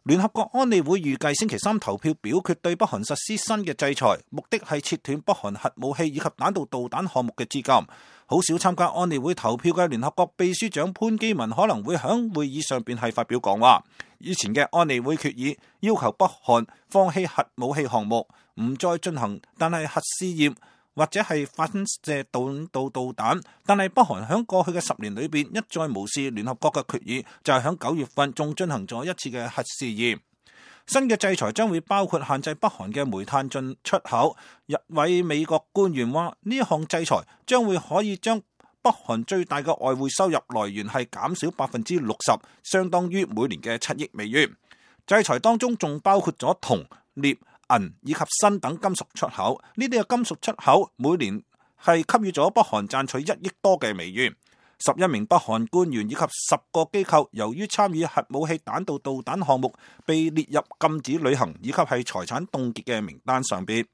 聯合國安理會預計星期三投票表決對北韓實施新嘅制裁，目的係切斷北韓核武器以及彈道導彈項目嘅資金。好少參加安理會投票嘅聯合國秘書長潘基文可能會喺會議上邊係發表講話。以前嘅安理會決議要求北韓放棄核武器項目，唔再進行但係核試驗或者係發射彈道導彈，但係北韓喺過去嘅10年裏邊一再無視聯合國嘅決議，就係喺9月份仲進行咗一次嘅核試驗。新嘅制裁將會包括限制北韓嘅煤炭進出口。一位美國官員話，呢項制裁將會可以將北韓最大嘅外匯收入來源係減少60%，相當於每年嘅7億美元。制裁當中仲包括咗銅、鎳、銀以及鋅等金屬出口，呢啲嘅金屬出口每年係給予咗北韓賺取1億多嘅美元。11名北韓官員以及10個機構由於參與核武器彈道導彈項目，被列入禁止旅行以及係財產凍結嘅名單上邊。